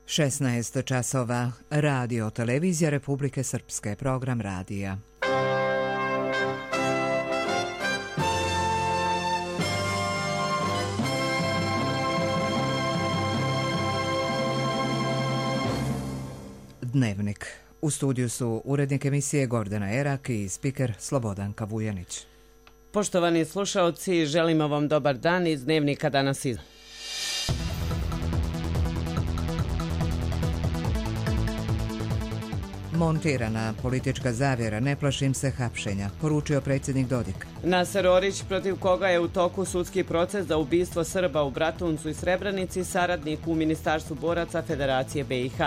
16 časova. Radio Televizija Republike Srpske. Program radija. Dnevnik. U studiju su urednik emisije Gordana Erak i spiker Slobodanka Vujanić. Poštovani slušaoci, želimo vam dobar dan iz Dnevnika danas iz... Montirana politička zavjera, ne plašim se hapšenja, poručio predsjednik Dodik. Naser Orić, protiv koga je u toku sudski proces za ubistvo Srba u Bratuncu i Srebrenici, saradnik u Ministarstvu boraca Federacije BiH.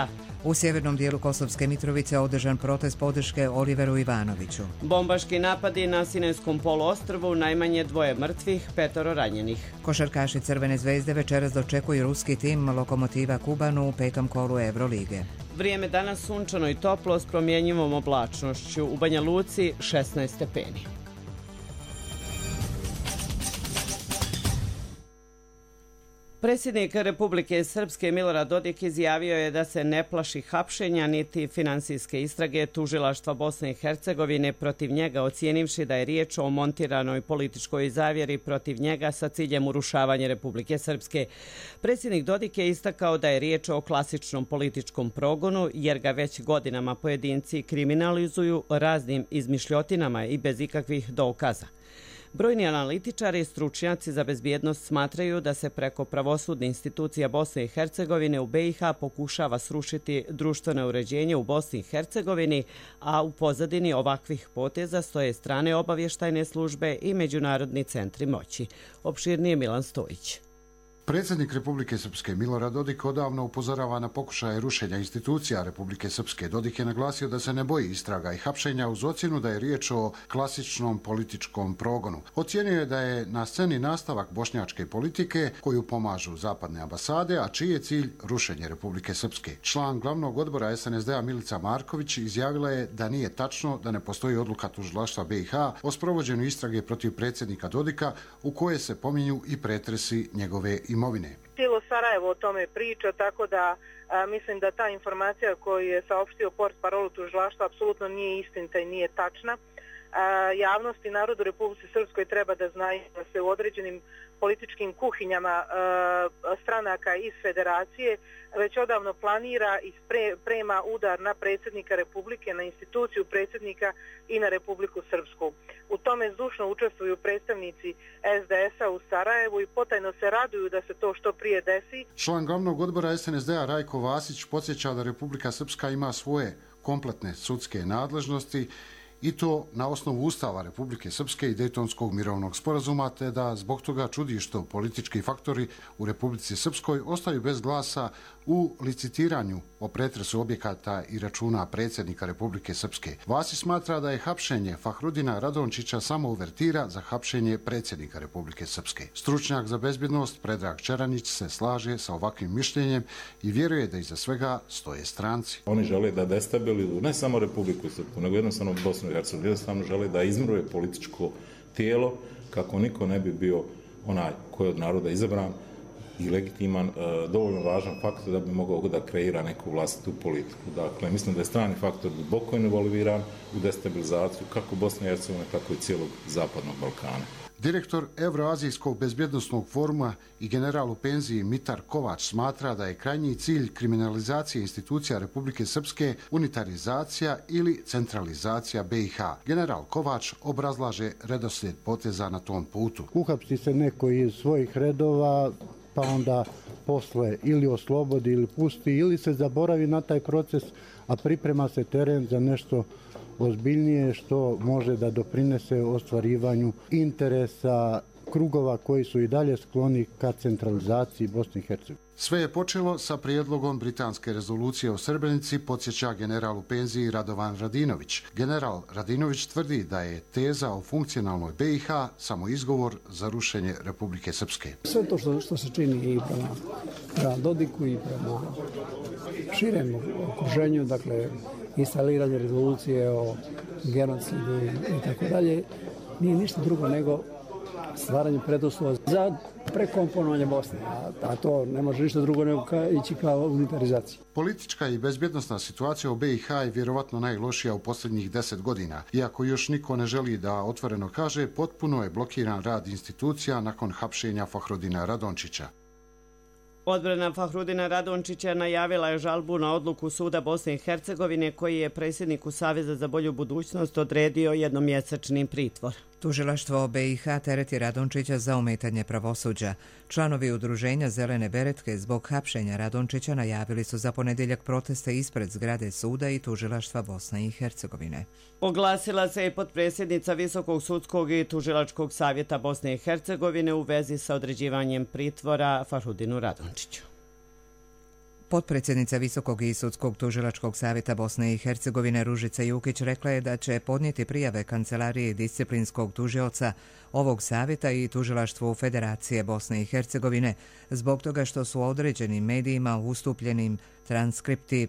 U sjevernom dijelu Kosovske Mitrovice održan protest podrške Oliveru Ivanoviću. Bombaški napadi na Sinajskom poluostrvu, najmanje 2 mrtvih, 5 ranjenih. Košarkaši Crvene zvezde večeras dočekuju ruski tim Lokomotiva Kubanu u 5. kolu Evrolige. Vrijeme danas sunčano i toplo s promjenjivom oblačnošću. U Banja Luci 16 stepeni. Predsjednik Republike Srpske Milorad Dodik izjavio je da se ne plaši hapšenja niti finansijske istrage tužilaštva Bosne i Hercegovine protiv njega, ocijenivši da je riječ o montiranoj političkoj zavjeri protiv njega sa ciljem urušavanja Republike Srpske. Predsjednik Dodik je istakao da je riječ o klasičnom političkom progonu jer ga već godinama pojedinci kriminalizuju raznim izmišljotinama i bez ikakvih dokaza. Brojni analitičari i stručnjaci za bezbjednost smatraju da se preko pravosudne institucija Bosne i Hercegovine u BiH pokušava srušiti društveno uređenje u Bosni i Hercegovini, a u pozadini ovakvih poteza stoje strane obavještajne službe i međunarodni centri moći. Opširnije Milan Stojić. Predsjednik Republike Srpske Milorad Dodik odavno upozorava na pokušaje rušenja institucija Republike Srpske. Dodik je naglasio da se ne boji istraga i hapšenja uz ocjenu da je riječ o klasičnom političkom progonu. Ocijenio je da je na sceni nastavak bošnjačke politike koju pomažu zapadne ambasade, a čiji je cilj rušenje Republike Srpske. Član glavnog odbora SNSD-a Milica Marković izjavila je da nije tačno da ne postoji odluka tužilaštva BiH o sprovođenju istrage protiv predsjednika Dodika u koje se pominju i pretresi njegove imovine. Cijelo Sarajevo o tome priča, tako da mislim da ta informacija koju je saopštio portparol tužilaštva apsolutno nije istinita i nije tačna. Javnost i narod u Republici Srpskoj treba da znaju da se u određenim političkim kuhinjama stranaka iz federacije već odavno planira i sprema udar na predsjednika Republike, na instituciju predsjednika i na Republiku Srpsku. U tome zdušno učestvuju predstavnici SDS-a u Sarajevu i potajno se raduju da se to što prije desi. Član glavnog odbora SNSD-a Rajko Vasić podsjeća da Republika Srpska ima svoje kompletne sudske nadležnosti i to na osnovu Ustava Republike Srpske i Dejtonskog mirovnog sporazuma, te da zbog toga čudi što politički faktori u Republici Srpskoj ostaju bez glasa u licitiranju o pretresu objekata i računa predsjednika Republike Srpske. Vasić smatra da je hapšenje Fahrudina Radončića samo uvertira za hapšenje predsjednika Republike Srpske. Stručnjak za bezbjednost Predrag Čeranić se slaže sa ovakvim mišljenjem i vjeruje da iza svega stoje stranci. Oni žele da destabilizuju ne samo Republiku Srpsku, nego jednostavno Bosnu i Hercegovinu. Jednostavno žele da izmruje političko tijelo kako niko ne bi bio onaj koji je od naroda izabran i legitiman, dovoljno važan faktor da bi mogao da kreira neku vlastitu politiku. Dakle, mislim da je strani faktor duboko involviran u destabilizaciju kako Bosne i Hercegovine, tako i cijelog Zapadnog Balkana. Direktor Evroazijskog bezbjednosnog foruma i general u penziji Mitar Kovač smatra da je krajnji cilj kriminalizacije institucija Republike Srpske unitarizacija ili centralizacija BiH. General Kovač obrazlaže redoslijed poteza na tom putu. Uhapsi se neko iz svojih redova, pa onda posle ili oslobodi ili pusti ili se zaboravi na taj proces, a priprema se teren za nešto ozbiljnije što može da doprinese ostvarivanju interesa krugova koji su i dalje skloni ka centralizaciji Bosne i Hercegovine. Sve je počelo sa prijedlogom britanske rezolucije o Srebrenici, podsjeća general u penziji Radovan Radinović. General Radinović tvrdi da je teza o funkcionalnoj BiH samo izgovor za rušenje Republike Srpske. Sve to što se čini i prema Dodiku i prema širem okruženju, dakle instaliranje rezolucije o genocidu i tako dalje, nije ništa drugo nego stvaranje preduslova za prekomponovanje Bosne, a to ne može ništa drugo nego ići kao unitarizacija. Politička i bezbjednosna situacija u BiH je vjerovatno najlošija u posljednjih 10 godina. Iako još niko ne želi da otvoreno kaže, potpuno je blokiran rad institucija nakon hapšenja Fahrudina Radončića. Odbrana Fahrudina Radončića najavila je žalbu na odluku Suda Bosne i Hercegovine koji je predsjedniku Saveza za bolju budućnost odredio jednomjesečni pritvor. Tužilaštvo BiH tereti Radončića za ometanje pravosuđa. Članovi udruženja Zelene beretke zbog hapšenja Radončića najavili su za ponedjeljak proteste ispred zgrade suda i tužilaštva Bosne i Hercegovine. Oglasila se i potpredsjednica Visokog sudskog i tužilačkog savjeta Bosne i Hercegovine u vezi sa određivanjem pritvora Fahrudinu Radončiću. Potpredsjednica Visokog i sudskog tužilačkog savjeta Bosne i Hercegovine Ružica Jukić rekla je da će podnijeti prijave Kancelarije disciplinskog tužioca ovog savjeta i tužilaštvu Federacije Bosne i Hercegovine zbog toga što su određenim medijima ustupljenim transkripti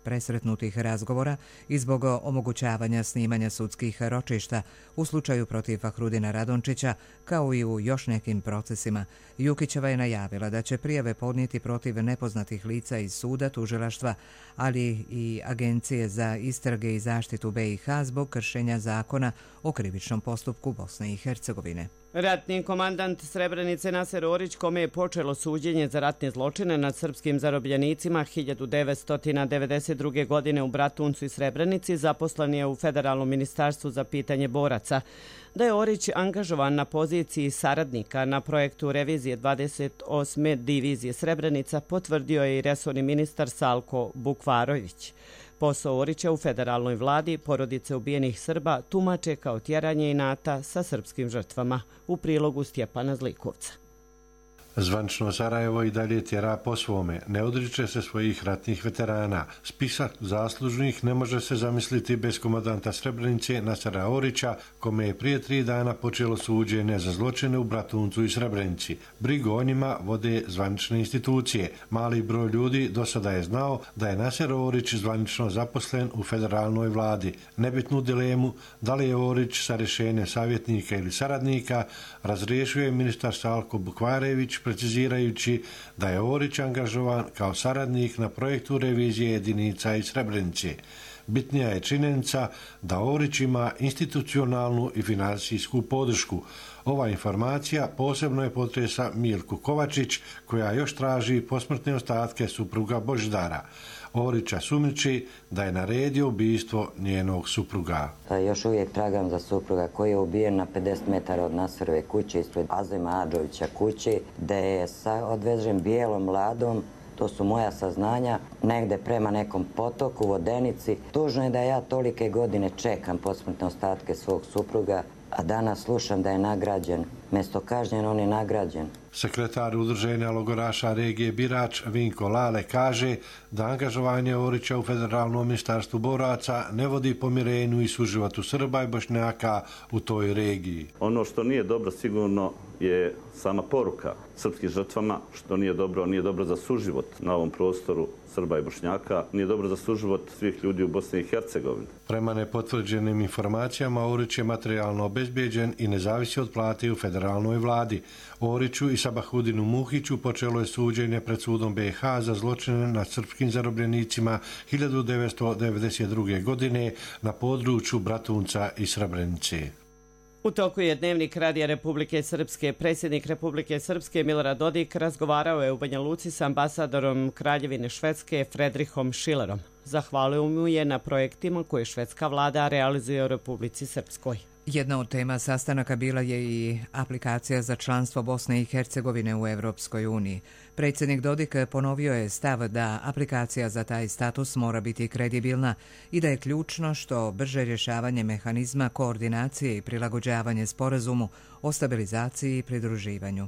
presretnutih razgovora i zbog omogućavanja snimanja sudskih ročišta u slučaju protiv Fahrudina Radončića, kao i u još nekim procesima. Jukićeva je najavila da će prijave podnijeti protiv nepoznatih lica iz suda, tužilaštva, ali i Agencije za istrage i zaštitu BiH zbog kršenja zakona o krivičnom postupku Bosne i Hercegovine. Ratni komandant Srebrenice Naser Orić, kome je počelo suđenje za ratne zločine nad srpskim zarobljenicima 1992. godine u Bratuncu i Srebrenici, zaposlen je u Federalnom ministarstvu za pitanje boraca. Da je Orić angažovan na poziciji saradnika na projektu revizije 28. divizije Srebrenica, potvrdio je i resorni ministar Salko Bukvarović. Posao Orića u federalnoj vladi porodice ubijenih Srba tumače kao tjeranje inata sa srpskim žrtvama, u prilogu Stjepana Zlikovca. Zvanično Sarajevo i dalje tjera po svome, ne odriče se svojih ratnih veterana. Spisak zaslužnih ne može se zamisliti bez komandanta Srebrenice Nasera Orića, kome je prije 3 dana počelo suđenje za zločine u Bratuncu i Srebrenici. Brigu o njima vode zvanične institucije. Mali broj ljudi do sada je znao da je Naser Orić zvanično zaposlen u federalnoj vladi. Nebitnu dilemu da li je Orić sa rješenjem savjetnika ili saradnika razriješio je ministar Salko Bukvarević, precizirajući da je Orić angažovan kao saradnik na projektu revizije jedinica iz Srebrenice. Bitnija je činjenica da Orić ima institucionalnu i finansijsku podršku. Ova informacija posebno je potresa Milku Kovačić, koja još traži posmrtne ostatke supruga Božidara. Orića sumnjiči da je naredio ubijstvo njenog supruga. Još uvijek tragam za supruga koji je ubijen na 50 metara od Naserove kuće ispred Azema Adžovića kuće, gde je odvežen bijelom ladom. To su moja saznanja, negde prema nekom potoku, Vodenici. Tužno je da ja tolike godine čekam posmrtne ostatke svog supruga, a danas slušam da je nagrađen. Mjesto kažnjen, on je nagrađen. Sekretar udruženja logoraša regije Birač Vinko Lale kaže da angažovanje Orića u Federalnom ministarstvu boraca ne vodi pomirenju i suživotu Srba i Bošnjaka u toj regiji. Ono što nije dobro sigurno je sama poruka srpskim žrtvama, što nije dobro za suživot na ovom prostoru Srba i Bošnjaka, nije dobro za suživot svih ljudi u Bosni i Hercegovini. Prema nepotvrđenim informacijama, Orić je materijalno obezbijeđen i ne zavisi od plate u federalnoj vladi. Oriću i Sabahudinu Muhiću počelo je suđenje pred sudom BiH za zločine nad srpskim zarobljenicima 1992. godine na području Bratunca i Srebrenice. U toku je Dnevnik Radija Republike Srpske. Predsjednik Republike Srpske Milorad Dodik razgovarao je u Banja Luci s ambasadorom Kraljevine Švedske Fredrihom Šilerom. Zahvalio mu je na projektima koje švedska vlada realizuje u Republici Srpskoj. Jedna od tema sastanaka bila je i aplikacija za članstvo Bosne i Hercegovine u Evropskoj uniji. Predsjednik Dodik ponovio je stav da aplikacija za taj status mora biti kredibilna i da je ključno što brže rješavanje mehanizma koordinacije i prilagođavanje sporazumu o stabilizaciji i pridruživanju.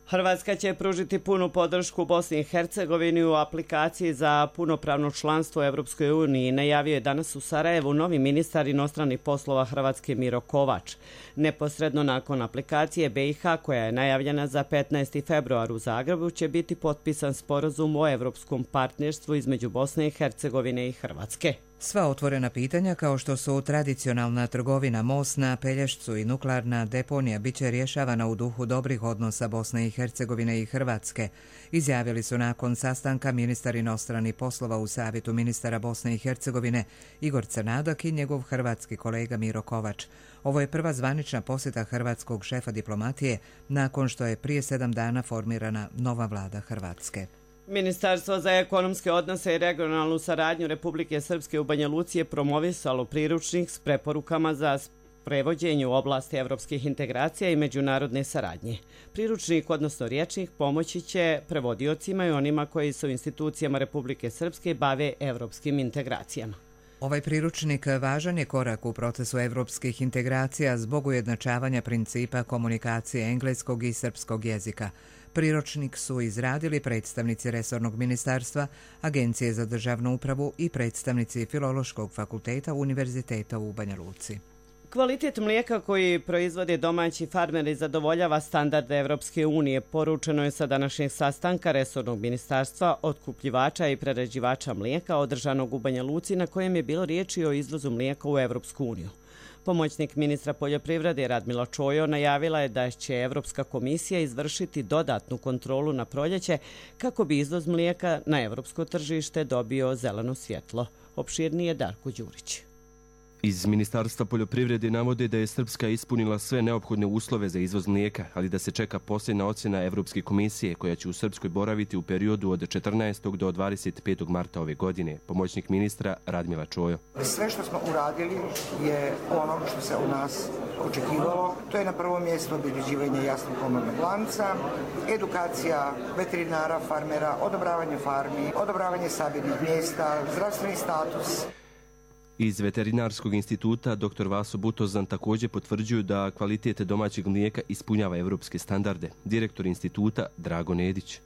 Hrvatska će pružiti punu podršku Bosni i Hercegovini u aplikaciji za punopravno članstvo u Evropskoj uniji, najavio je danas u Sarajevu novi ministar inostranih poslova Hrvatske Miro Kovač. Neposredno nakon aplikacije BiH, koja je najavljena za 15. februar u Zagrebu, će biti potpisan sporazum o evropskom partnerstvu između Bosne i Hercegovine i Hrvatske. Sva otvorena pitanja kao što su tradicionalna trgovina, most na Pelješcu i nuklearna deponija bit će rješavana u duhu dobrih odnosa Bosne i Hercegovine i Hrvatske, izjavili su nakon sastanka ministar inostranih poslova u Savjetu ministara Bosne i Hercegovine Igor Crnadak i njegov hrvatski kolega Miro Kovač. Ovo je prva zvanična posjeta hrvatskog šefa diplomatije nakon što je prije 7 dana formirana nova vlada Hrvatske. Ministarstvo za ekonomske odnose i regionalnu saradnju Republike Srpske u Banja Luci je promovisalo priručnik s preporukama za prevođenje u oblasti evropskih integracija i međunarodne saradnje. Priručnik, odnosno rječnik, pomoći će prevodiocima i onima koji se u institucijama Republike Srpske bave evropskim integracijama. Ovaj priručnik važan je korak u procesu evropskih integracija zbog ujednačavanja principa komunikacije engleskog i srpskog jezika. Priručnik su izradili predstavnici resornog ministarstva, Agencije za državnu upravu i predstavnici Filološkog fakulteta Univerziteta u Banja Luci. Kvalitet mlijeka koji proizvode domaći farmeri zadovoljava standarde Evropske unije, poručeno je sa današnjeg sastanka resornog ministarstva, otkupljivača i prerađivača mlijeka održanog u Banja Luci, na kojem je bilo riječi o izvozu mlijeka u Evropsku uniju. Pomoćnik ministra poljoprivrede Radmila Čojo najavila je da će Evropska komisija izvršiti dodatnu kontrolu na proljeće kako bi izvoz mlijeka na evropsko tržište dobio zeleno svjetlo. Opširnije Darko Đurić. Iz Ministarstva poljoprivrede navode da je Srpska ispunila sve neophodne uslove za izvoz mlijeka, ali da se čeka posljedna ocjena Evropske komisije koja će u Srpskoj boraviti u periodu od 14. do 25. marta ove godine. Pomoćnik ministra Radmila Čojo. Sve što smo uradili je ono što se u nas očekivalo. To je na prvom mjestu obezbeđivanje jasnog komandnog lanca, edukacija veterinara, farmera, odobravanje farmi, odobravanje sabirnih mjesta, zdravstveni status. Iz Veterinarskog instituta dr. Vaso Butozan također potvrđuju da kvalitet domaćeg mlijeka ispunjava evropske standarde. Direktor instituta Drago Nedić.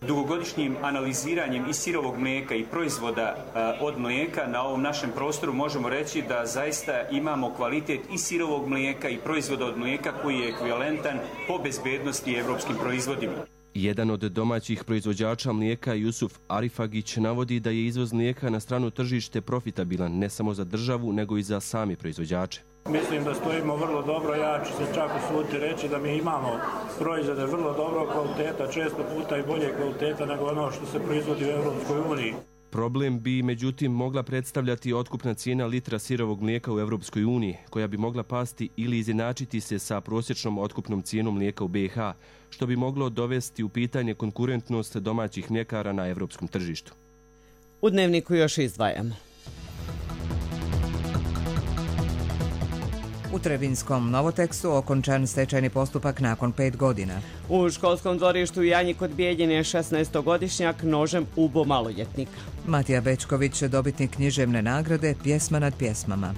Dugogodišnjim analiziranjem i sirovog mlijeka i proizvoda od mlijeka na ovom našem prostoru možemo reći da zaista imamo kvalitet i sirovog mlijeka i proizvoda od mlijeka koji je ekvivalentan po bezbednosti evropskim proizvodima. Jedan od domaćih proizvođača mlijeka, Jusuf Arifagić, navodi da je izvoz mlijeka na strano tržište profitabilan ne samo za državu, nego i za sami proizvođače. Mislim da stojimo vrlo dobro, ja ću se čak usuditi reći da mi imamo proizvode vrlo dobro kvaliteta, često puta i bolje kvaliteta nego ono što se proizvodi u Evropskoj uniji. Problem bi, međutim, mogla predstavljati otkupna cijena litra sirovog mlijeka u Evropskoj uniji, koja bi mogla pasti ili izjednačiti se sa prosječnom otkupnom cijenom mlijeka u BiH, što bi moglo dovesti u pitanje konkurentnost domaćih mljekara na evropskom tržištu. U dnevniku još izdvajamo. U Trebinskom Novotekstu okončan stečajni postupak nakon 5 godina. U školskom dvorištu u Janji kod Bijeljine je 16-godišnjak nožem ubo maloljetnika. Matija Bečković, dobitnik književne nagrade Pjesma nad pjesmama.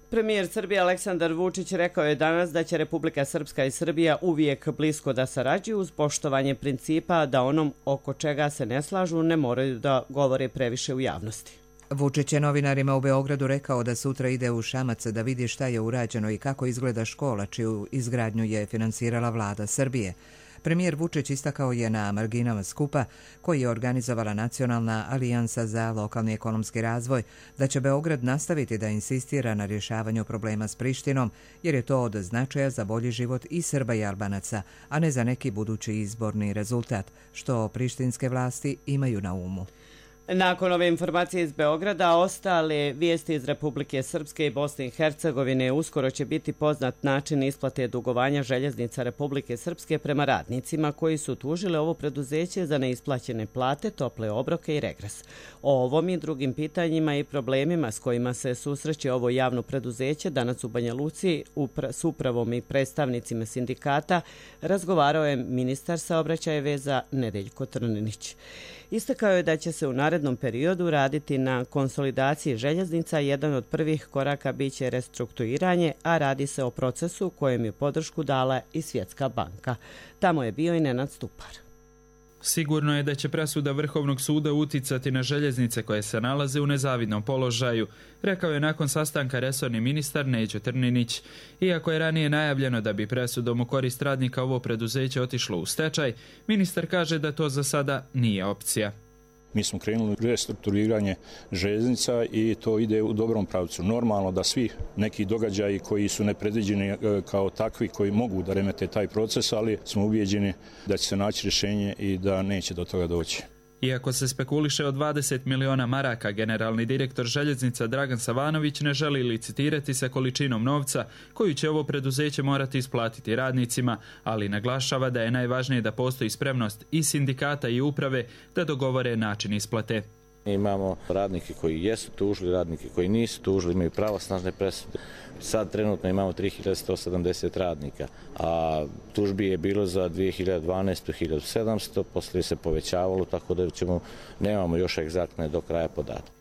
Premijer Srbije Aleksandar Vučić rekao je danas da će Republika Srpska i Srbija uvijek blisko da sarađuju uz poštovanje principa da onom oko čega se ne slažu ne moraju da govore previše u javnosti. Vučić je novinarima u Beogradu rekao da sutra ide u Šamac da vidi šta je urađeno i kako izgleda škola čiju izgradnju je finansirala vlada Srbije. Premijer Vučić istakao je na marginama skupa koji je organizovala Nacionalna alijansa za lokalni ekonomski razvoj da će Beograd nastaviti da insistira na rješavanju problema s Prištinom jer je to od značaja za bolji život i Srba i Albanaca, a ne za neki budući izborni rezultat, što prištinske vlasti imaju na umu. Nakon ove informacije iz Beograda, ostale vijesti iz Republike Srpske i Bosne i Hercegovine uskoro će biti poznat način isplate dugovanja željeznica Republike Srpske prema radnicima koji su tužili ovo preduzeće za neisplaćene plate, tople obroke i regres. O ovom i drugim pitanjima i problemima s kojima se susreće ovo javno preduzeće danas u Banja Luci s upravom i predstavnicima sindikata razgovarao je ministar saobraćaja i veza Nedeljko Trninić. Istakao je da će se u narednom periodu raditi na konsolidaciji željeznica. Jedan od prvih koraka biće restrukturiranje, a radi se o procesu kojem je podršku dala i Svjetska banka. Tamo je bio i Nenad Stupar. Sigurno je da će presuda Vrhovnog suda uticati na željeznice koje se nalaze u nezavidnom položaju, rekao je nakon sastanka resorni ministar Neđo Trninić. Iako je ranije najavljeno da bi presudom u korist radnika ovo preduzeće otišlo u stečaj, ministar kaže da to za sada nije opcija. Mi smo krenuli u restrukturiranje željeznica i to ide u dobrom pravcu. Normalno da svi neki događaji koji su nepredviđeni kao takvi, koji mogu da remete taj proces, ali smo ubijeđeni da će se naći rješenje i da neće do toga doći. Iako se spekuliše o 20 miliona maraka, generalni direktor željeznica Dragan Savanović ne želi licitirati sa količinom novca koju će ovo preduzeće morati isplatiti radnicima, ali naglašava da je najvažnije da postoji spremnost i sindikata i uprave da dogovore način isplate. Imamo radnike koji jesu tužili, radnike koji nisu tužili, imaju pravosnažne presude. Sad trenutno imamo 3170 radnika, a tužbi je bilo za 2012. 1700, poslije se povećavalo, tako da nemamo još egzaktne do kraja podatke.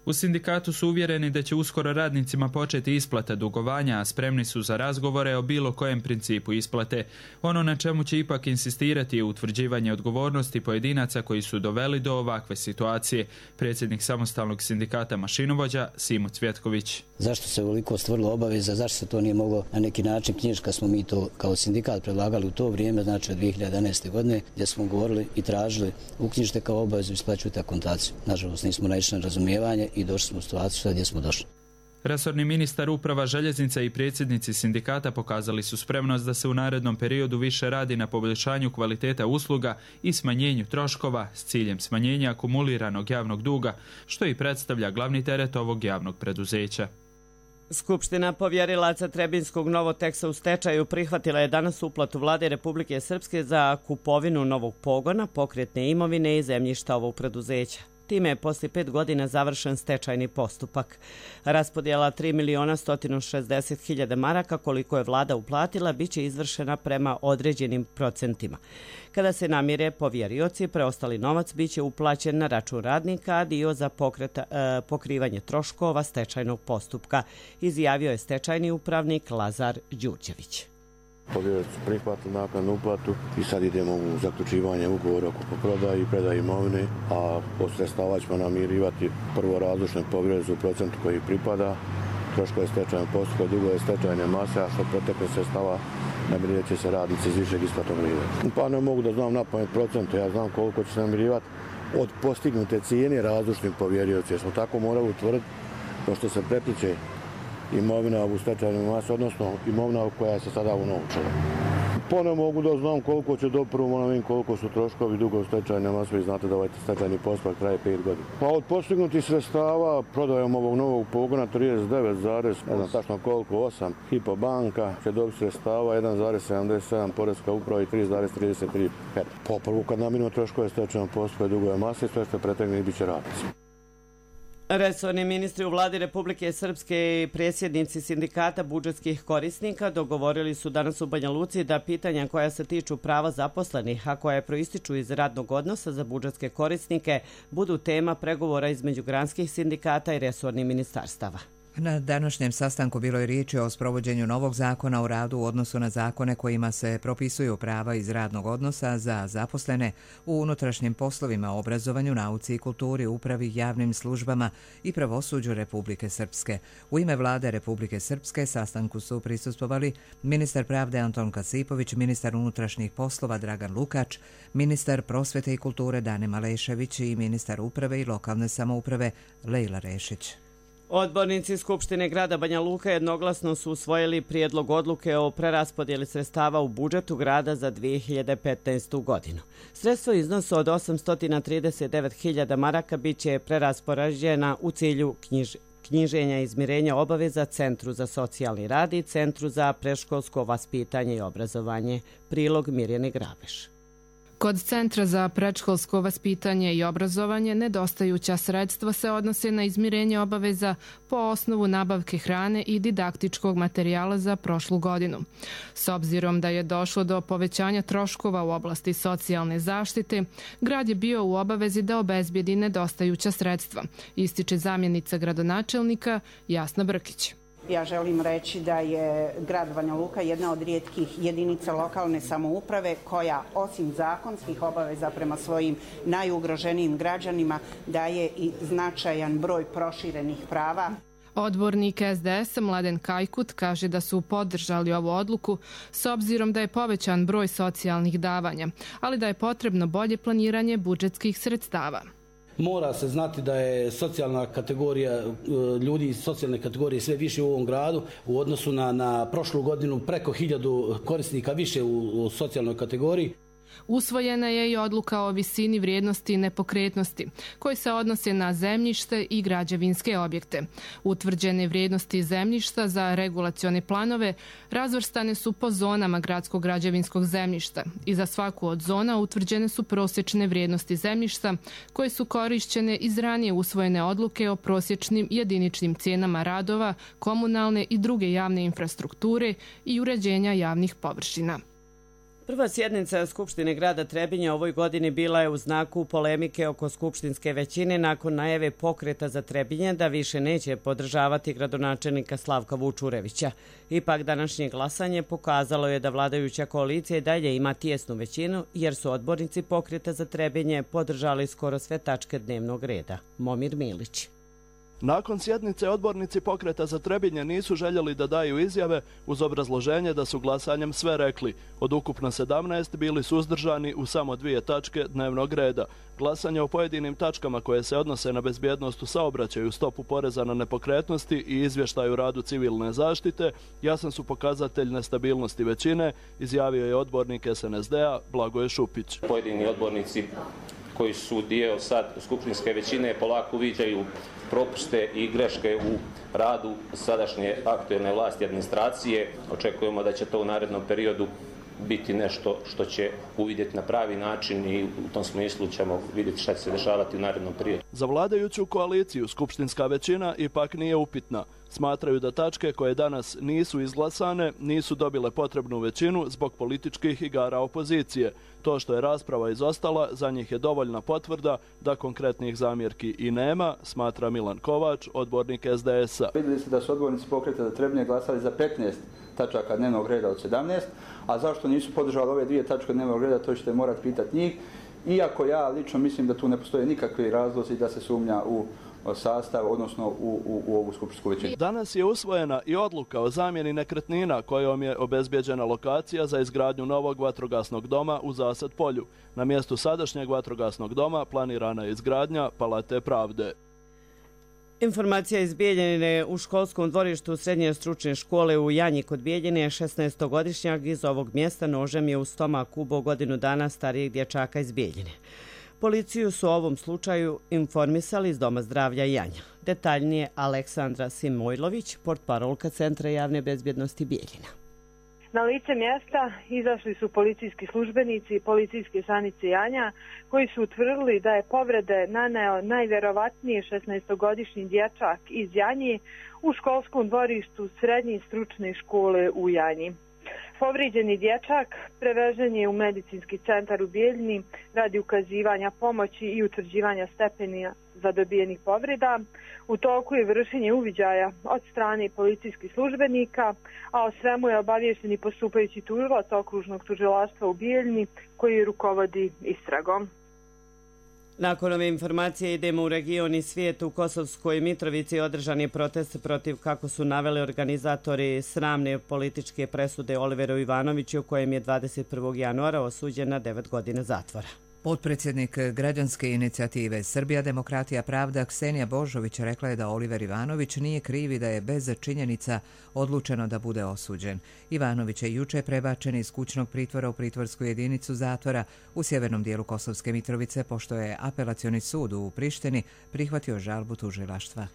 U sindikatu su uvjereni da će uskoro radnicima početi isplata dugovanja, a spremni su za razgovore o bilo kojem principu isplate. Ono na čemu će ipak insistirati je utvrđivanje odgovornosti pojedinaca koji su doveli do ovakve situacije. Predsjednik samostalnog sindikata mašinovođa Simo Cvjetković. Zašto se ovoliko stvorilo obaveza, zašto se to nije moglo na neki način knjižiti kad smo mi to kao sindikat predlagali u to vrijeme, znači od 2011. godine, gdje smo govorili i tražili uknjižite kao obavezu, isplaćujte akontaciju. Nažalost, nismo naišli na razumijevanje i došli smo u situaciju gdje smo došli. Resorni ministar uprava željeznica i predsjednici sindikata pokazali su spremnost da se u narednom periodu više radi na poboljšanju kvaliteta usluga i smanjenju troškova s ciljem smanjenja akumuliranog javnog duga, što i predstavlja glavni teret ovog javnog preduzeća. Skupština povjerilaca Trebinskog Novoteksa u stečaju prihvatila je danas uplatu Vlade Republike Srpske za kupovinu novog pogona, pokretne imovine i zemljišta ovog preduzeća. Time je poslije 5 godina završen stečajni postupak. Raspodjela 3.160.000 maraka koliko je vlada uplatila bit će izvršena prema određenim procentima. Kada se namire povjerioci, preostali novac bit će uplaćen na račun radnika, a dio za pokrivanje troškova stečajnog postupka, izjavio je stečajni upravnik Lazar Đurđević. Povjerioci su prihvatili naknadnu uplatu i sad idemo u zaključivanje ugovora oko prodaje i predaje imovine, a od sredstava ćemo namirivati prvo razlučne povjerioci u procentu koji pripada, troškove stečajnog postupka, dugove stečajne mase, a što protekle sredstava namirivat će se radnici iz višeg isplatnog reda. Pa ne mogu da znam napamet procente, ja znam koliko će se namirivati od postignute cijene razlučnih povjerioci, jer smo tako morali utvrditi, pošto se prepliče imovina u stečajnoj masi, odnosno imovina koja se sada unovčila. Pa ne mogu da znam koliko će doprvo, moram vidim koliko su troškovi dugo stečajne mase, vi znate da ovaj stečajni postupak traje 5 godina. Pa od postignutih sredstava prodajom ovog novog pogona 39, ne znam tačno koliko, 8 Hypo banka će dobiti sredstava 1,77 Poreska uprava i 3,33 HEP. Po prvu kad namirimo troškove stečajnog postupka i dugove mase, sve što pretegne bit će radnici. Resorni ministri u vladi Republike Srpske i predsjednici sindikata budžetskih korisnika dogovorili su danas u Banja Luci da pitanja koja se tiču prava zaposlenih, a koja proističu iz radnog odnosa za budžetske korisnike, budu tema pregovora između granskih sindikata i resornih ministarstava. Na današnjem sastanku bilo je riječi o sprovođenju novog zakona o radu u odnosu na zakone kojima se propisuju prava iz radnog odnosa za zaposlene u unutrašnjim poslovima, obrazovanju, nauci i kulturi, upravi, javnim službama i pravosuđu Republike Srpske. U ime vlade Republike Srpske sastanku su prisustvovali ministar pravde Anton Kasipović, ministar unutrašnjih poslova Dragan Lukač, ministar prosvete i kulture Dane Malešević i ministar uprave i lokalne samouprave Lejla Rešić. Odbornici Skupštine grada Banja Luka jednoglasno su usvojili prijedlog odluke o preraspodjeli sredstava u budžetu grada za 2015. godinu. Sredstvo iznosu od 839.000 maraka bit će preraspoređena u cilju knjiženja i izmirenja obaveza Centru za socijalni rad i Centru za predškolsko vaspitanje i obrazovanje. Prilog Mirjane Grabeš. Kod Centra za predškolsko vaspitanje i obrazovanje nedostajuća sredstva se odnose na izmirenje obaveza po osnovu nabavke hrane i didaktičkog materijala za prošlu godinu. S obzirom da je došlo do povećanja troškova u oblasti socijalne zaštite, grad je bio u obavezi da obezbijedi nedostajuća sredstva, ističe zamjenica gradonačelnika Jasna Brkić. Ja želim reći da je grad Banja Luka jedna od rijetkih jedinica lokalne samouprave koja osim zakonskih obaveza prema svojim najugroženijim građanima daje i značajan broj proširenih prava. Odbornik SDS Mladen Kajkut kaže da su podržali ovu odluku s obzirom da je povećan broj socijalnih davanja, ali da je potrebno bolje planiranje budžetskih sredstava. Mora se znati da je socijalna kategorija ljudi iz socijalne kategorije sve više u ovom gradu u odnosu na prošlu godinu, preko 1000 korisnika više u socijalnoj kategoriji. Usvojena je i odluka o visini vrijednosti nepokretnosti, koji se odnose na zemljište i građevinske objekte. Utvrđene vrijednosti zemljišta za regulacione planove razvrstane su po zonama gradskog građevinskog zemljišta i za svaku od zona utvrđene su prosječne vrijednosti zemljišta koje su korišćene iz ranije usvojene odluke o prosječnim jediničnim cijenama radova, komunalne i druge javne infrastrukture i uređenja javnih površina. Prva sjednica Skupštine grada Trebinja ovoj godini bila je u znaku polemike oko skupštinske većine nakon najave Pokreta za Trebinje da više neće podržavati gradonačelnika Slavka Vučurevića. Ipak današnje glasanje pokazalo je da vladajuća koalicija i dalje ima tijesnu većinu jer su odbornici Pokreta za Trebinje podržali skoro sve tačke dnevnog reda. Momir Milić. Nakon sjednice odbornici Pokreta za Trebinje nisu željeli da daju izjave uz obrazloženje da su glasanjem sve rekli. Od ukupno 17 bili suzdržani u samo 2 tačke dnevnog reda. Glasanje o pojedinim tačkama koje se odnose na bezbjednost u saobraćaju, stopu poreza na nepokretnosti i izvještaju radu civilne zaštite jasan su pokazatelj nestabilnosti većine, izjavio je odbornik SNSD-a Blagoje Šupić. Pojedini odbornici koji su dio sad skupštinske većine polako uviđaju propuste i greške u radu sadašnje aktuelne vlasti administracije. Očekujemo da će to u narednom periodu biti nešto što će uvidjeti na pravi način i u tom smislu ćemo vidjeti šta će se dešavati u narednom periodu. Za vladajuću koaliciju skupštinska većina ipak nije upitna. Smatraju da tačke koje danas nisu izglasane nisu dobile potrebnu većinu zbog političkih igara opozicije. To što je rasprava izostala za njih je dovoljna potvrda da konkretnih zamjerki i nema, smatra Milan Kovač, odbornik SDS-a. Vidjeli ste da su odbornici Pokreta za Trebinje glasali za 15 tačaka dnevnog reda od 17, a zašto nisu podržali ove 2 tačke dnevnog reda, to ćete morati pitati njih. Iako ja lično mislim da tu ne postoje nikakvi razlozi da se sumnja u sastav, odnosno u ovu skupštinsku većinu. Danas je usvojena i odluka o zamjeni nekretnina kojom je obezbjeđena lokacija za izgradnju novog vatrogasnog doma u Zasad polju. Na mjestu sadašnjeg vatrogasnog doma planirana je izgradnja Palate pravde. Informacija iz Bijeljine u školskom dvorištu srednje stručne škole u Janji kod Bijeljine 16-godišnjak iz ovog mjesta nožem je u stomak ubao godinu dana starijeg dječaka iz Bijeljine. Policiju su o ovom slučaju informisali iz Doma zdravlja Janja. Detaljnije Aleksandra Simojlović, portparolka Centra javne bezbjednosti Bijeljina. Na lice mjesta izašli su policijski službenici i policijske stanice Janja koji su utvrdili da je povrede naneo najvjerovatnije 16-godišnji dječak iz Janji u školskom dvorištu srednje stručne škole u Janji. Povrijeđeni dječak prevežen je u medicinski centar u Bijeljini radi ukazivanja pomoći i utvrđivanja stepena zadobijenih povreda. U toku je vršenje uviđaja od strane policijskih službenika, a o svemu je obaviješten i postupajući tužilac okružnog tužilaštva u Bijeljini koji rukovodi istragom. Nakon ove informacije idemo u region i svijet. U Kosovskoj Mitrovici održan je protest protiv, kako su naveli organizatori, sramne političke presude Oliveru Ivanoviću, kojem je 21. januara osuđen na 9 godina zatvora. Potpredsjednik građanske inicijative Srbija, demokratija, pravda Ksenija Božović rekla je da Oliver Ivanović nije kriv i da je bez činjenica odlučeno da bude osuđen. Ivanović je juče prebačen iz kućnog pritvora u pritvorsku jedinicu zatvora u sjevernom dijelu Kosovske Mitrovice, pošto je apelacioni sud u Prištini prihvatio žalbu tužilaštva.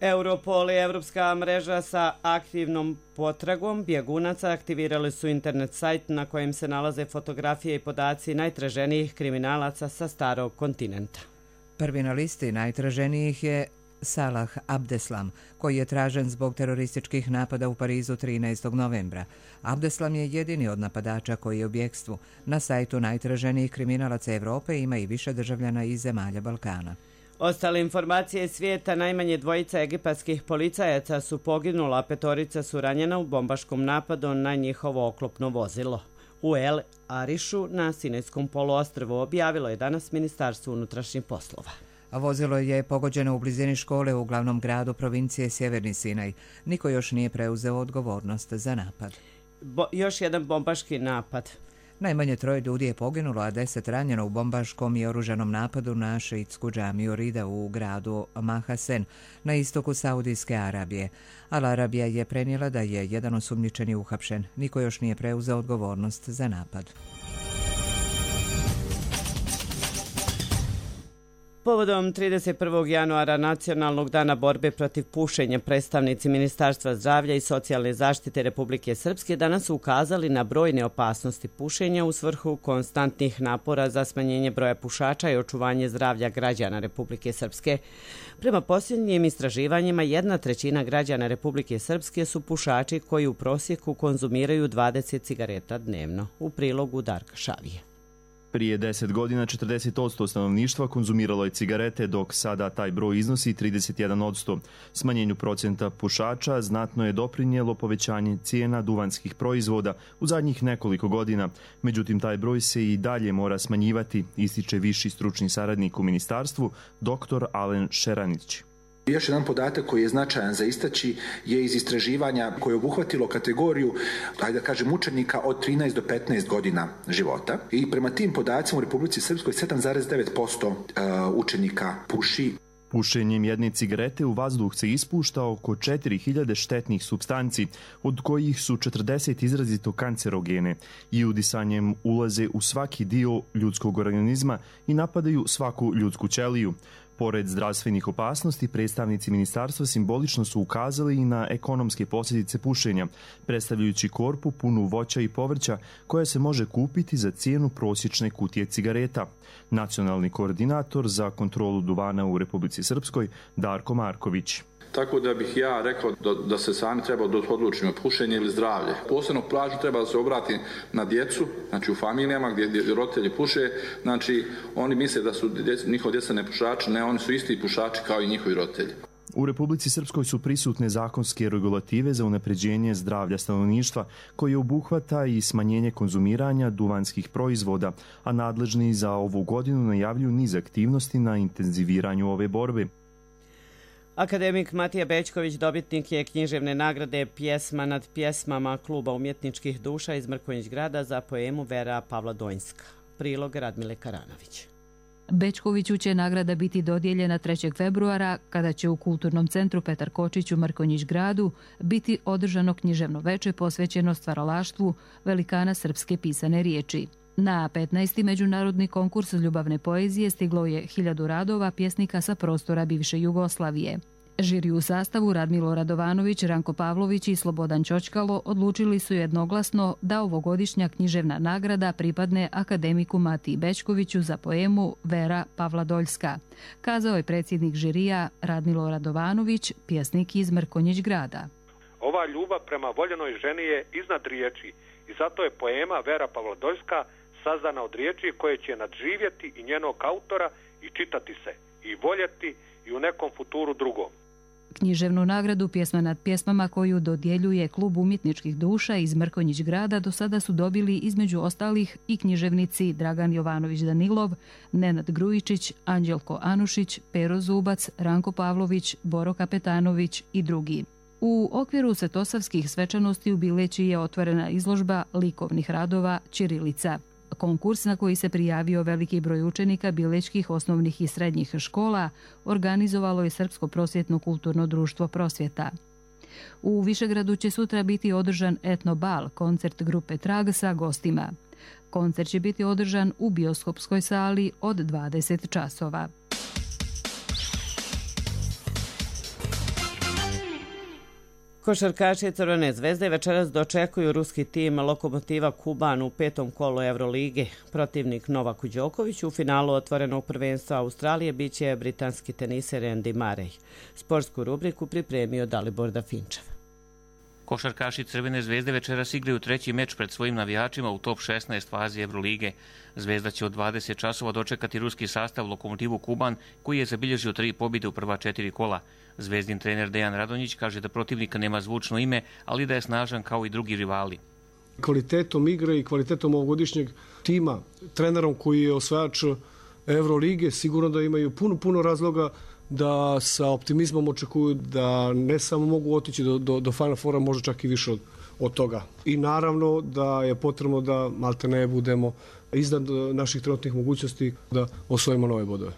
Europol i Evropska mreža sa aktivnom potragom bjegunaca aktivirali su internet sajt na kojem se nalaze fotografije i podaci najtraženijih kriminalaca sa starog kontinenta. Prvi na listi najtraženijih je Salah Abdeslam, koji je tražen zbog terorističkih napada u Parizu 13. novembra. Abdeslam je jedini od napadača koji je u bjegstvu. Na sajtu najtraženijih kriminalaca Evrope ima i više državljana iz zemalja Balkana. Ostale informacije svijeta, najmanje 2 egipatskih policajaca su poginula, 5 su ranjena u bombaškom napadu na njihovo oklopno vozilo. U El Arišu na Sinajskom poluostrvu objavilo je danas Ministarstvo unutrašnjih poslova. Vozilo je pogođeno u blizini škole u glavnom gradu provincije Sjeverni Sinaj. Niko još nije preuzeo odgovornost za napad. Još jedan bombaški napad. Najmanje 3 ljudi je poginulo, a 10 ranjeno u bombaškom i oružanom napadu na šiitsku džamiju Rida u gradu Mahasen na istoku Saudijske Arabije. Al Arabija je prenijela da je jedan osumnjičeni uhapšen. Niko još nije preuzeo odgovornost za napad. Povodom 31. januara Nacionalnog dana borbe protiv pušenja, predstavnici Ministarstva zdravlja i socijalne zaštite Republike Srpske danas su ukazali na brojne opasnosti pušenja u svrhu konstantnih napora za smanjenje broja pušača i očuvanje zdravlja građana Republike Srpske. Prema posljednjim istraživanjima, 1/3 građana Republike Srpske su pušači koji u prosjeku konzumiraju 20 cigareta dnevno. U prilogu Darka Šavije. Prije 10 godina 40% stanovništva konzumiralo je cigarete, dok sada taj broj iznosi 31%. Smanjenju procenta pušača znatno je doprinijelo povećanje cijena duvanskih proizvoda u zadnjih nekoliko godina. Međutim, taj broj se i dalje mora smanjivati, ističe viši stručni saradnik u ministarstvu, dr. Alen Šeranić. Još jedan podatak koji je značajan za istaći je iz istraživanja koje je obuhvatilo kategoriju, ajde da kažem, učenika od 13 do 15 godina života. I prema tim podacima u Republici Srpskoj 7,9% učenika puši. Pušenjem jedne cigarete u vazduh se ispušta oko 4000 štetnih supstanci, od kojih su 40 izrazito kancerogene i udisanjem ulaze u svaki dio ljudskog organizma i napadaju svaku ljudsku ćeliju. Pored zdravstvenih opasnosti, predstavnici ministarstva simbolično su ukazali i na ekonomske posljedice pušenja, predstavljajući korpu punu voća i povrća koja se može kupiti za cijenu prosječne kutije cigareta. Nacionalni koordinator za kontrolu duvana u Republici Srpskoj, Darko Marković. Tako da bih ja rekao da se sami treba da odlučimo pušenje ili zdravlje. Posebno pažnju treba da se obrati na djecu, znači u familijama gdje roditelji puše, znači oni misle da su njihova djeca ne pušači, ne, oni su isti pušači kao i njihovi roditelji. U Republici Srpskoj su prisutne zakonske regulative za unapređenje zdravlja stanovništva, koje obuhvata i smanjenje konzumiranja duvanskih proizvoda, a nadležni za ovu godinu najavljuju niz aktivnosti na intenziviranju ove borbe. Akademik Matija Bećković dobitnik je književne nagrade Pjesma nad pjesmama Kluba umjetničkih duša iz Mrkonjić grada za poemu Vera Pavladoljska. Prilog Radmile Karanović. Bećkoviću će nagrada biti dodijeljena 3. februara, kada će u Kulturnom centru Petar Kočić u Mrkonjić gradu biti održano književno veče posvećeno stvaralaštvu velikana srpske pisane riječi. Na 15. međunarodni konkurs ljubavne poezije stiglo je 1000 radova pjesnika sa prostora bivše Jugoslavije. Žiri u sastavu Radmilo Radovanović, Ranko Pavlović i Slobodan Ćočkalo odlučili su jednoglasno da ovogodišnja književna nagrada pripadne akademiku Matiji Bećkoviću za poemu Vera Pavladoljska, kazao je predsjednik žirija Radmilo Radovanović, pjesnik iz Mrkonjić grada. Ova ljubav prema voljenoj ženi je iznad riječi i zato je poema Vera Pavladoljska sazdana od riječi koje će nadživjeti i njenog autora i čitati se, i voljeti i u nekom futuru drugom. Književnu nagradu Pjesma nad pjesmama koju dodjeljuje Klub umjetničkih duša iz Mrkonjić grada do sada su dobili između ostalih i književnici Dragan Jovanović Danilov, Nenad Grujičić, Anđelko Anušić, Pero Zubac, Ranko Pavlović, Boro Kapetanović i drugi. U okviru svetosavskih svečanosti u Bileći je otvorena izložba likovnih radova Ćirilica. Konkurs na koji se prijavio veliki broj učenika bilećkih osnovnih i srednjih škola organizovalo je Srpsko prosvjetno kulturno društvo Prosvjeta. U Višegradu će sutra biti održan etnobal, koncert grupe Trag sa gostima. Koncert će biti održan u bioskopskoj sali od 20 časova. Košarkaši Crvene zvezde večeras dočekuju ruski tim Lokomotiva Kuban u 5. kolu Evrolige. Protivnik Novaku Đokoviću u finalu otvorenog prvenstva Australije biće britanski teniser Andy Murray. Sportsku rubriku pripremio Dalibor Dafinčev. Košarkaši Crvene zvezde večeras igraju treći meč pred svojim navijačima u top 16 fazi Evrolige. Zvezda će od 20 časova dočekati ruski sastav Lokomotivu Kuban, koji je zabilježio 3 pobjede u prva 4 kola. Zvezdin trener Dejan Radonjić kaže da protivnika nema zvučno ime, ali da je snažan kao i drugi rivali. Kvalitetom igre i kvalitetom ovogodišnjeg tima, trenerom koji je osvajač Evrolige, sigurno da imaju puno razloga da sa optimizmom očekuju da ne samo mogu otići do Final Fora, možda čak i više od toga. I naravno da je potrebno da maltene budemo iznad naših trenutnih mogućnosti da osvojimo nove bodove.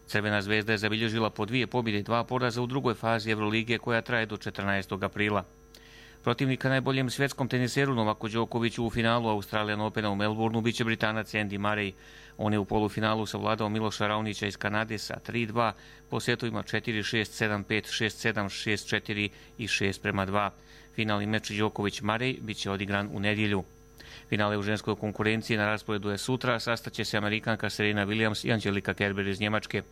Crvena zvezda je zabilježila po 2 pobjede i 2 poraza u drugoj fazi Evrolige koja traje do 14. aprila. Protivnika najboljem svjetskom teniseru Novaku Đokoviću u finalu Australian Opena u Melbourneu biće Britanac Andy Murray. On je u polufinalu savladao Miloša Raonića iz Kanade sa 3-2 po setovima 4-6, 7-5, 6-7, 6-4 i 6-2. Finalni meč Đoković-Murray biće odigran u nedjelju. Finale u ženskoj konkurenciji na rasporedu je sutra, sastaće se Amerikanka Serena Williams i Angelika Kerber iz Njemačke.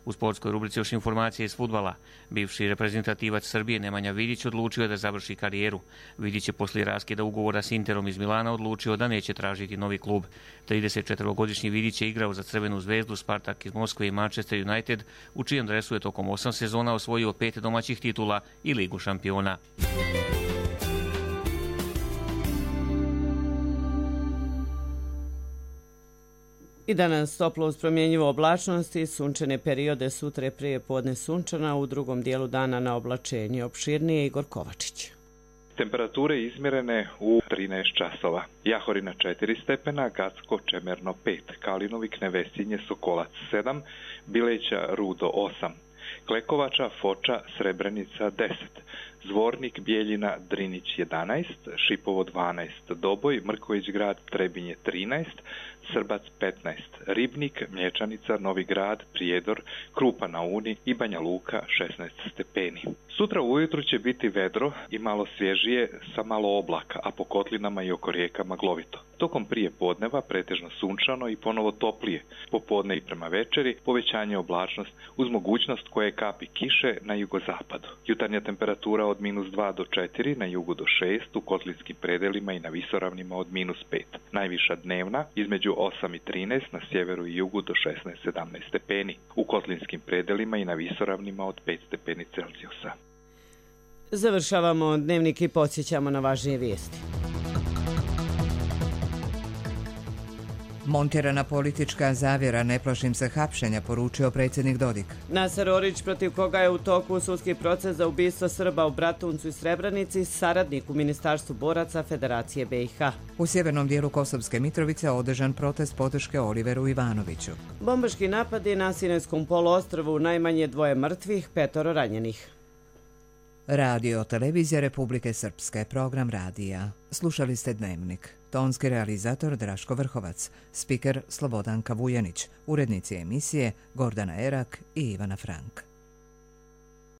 U sportskoj rubrici još informacije iz fudbala. Bivši reprezentativac Srbije Nemanja Vidić odlučio je da završi karijeru. Vidić je poslije raskida ugovora s Interom iz Milana odlučio da neće tražiti novi klub. 34-godišnji Vidić je igrao za Crvenu zvezdu, Spartak iz Moskve i Manchester United, u čijem dresu je tokom 8 sezona osvojio 5 domaćih titula i Ligu šampiona. I danas toplo uz promjenjivo oblačnosti, sunčane periode, sutra je prije podne sunčana, u drugom dijelu dana na oblačenje. Opširnije Igor Kovačić. Temperature izmjerene u 13 časova. Jahorina 4 stepena, Gacko, Čemerno 5, Kalinovik, Nevesinje, Sokolac 7, Bileća, Rudo 8, Klekovača, Foča, Srebrenica 10, Zvornik, Bijeljina, Drinić 11, Šipovo 12, Doboj, Mrković grad, Trebinje 13, Srbac 15, Ribnik, Mlječanica, Novi grad, Prijedor, Krupa na Uni i Banja Luka 16 stepeni. Sutra ujutru će biti vedro i malo svježije sa malo oblaka, a po kotlinama i oko rijekama glovito. Tokom prije podneva pretežno sunčano i ponovo toplije. Popodne i prema večeri povećanje oblačnost uz mogućnost koje kapi kiše na jugozapadu. Jutarnja temperatura od -2 do 4, na jugu do 6, u kotlinskim predelima i na visoravnima od -5. Najviša dnevna između 8 i 13, na sjeveru i jugu do 16-17 stepeni. U kotlinskim predelima i na visoravnima od 5 stepeni Celzijusa. Završavamo dnevnik i podsjećamo na važnije vijesti. Montirana politička zavjera, ne plašim se hapšenja, poručio predsjednik Dodik. Nasar Orić, protiv koga je u toku sudski proces za ubistvo Srba u Bratuncu i Srebrenici, saradnik u Ministarstvu boraca Federacije BiH. U sjevernom dijelu Kosovske Mitrovice održan protest podrške Oliveru Ivanoviću. Bombaški napadi na Sinajskom poluostrvu, najmanje 2 mrtvih, 5 ranjenih. Radio Televizija Republike Srpske, program radija. Slušali ste Dnevnik. Tonski realizator Draško Vrhovac, spiker Slobodanka Vujanić, urednici emisije Gordana Erak i Ivana Frank.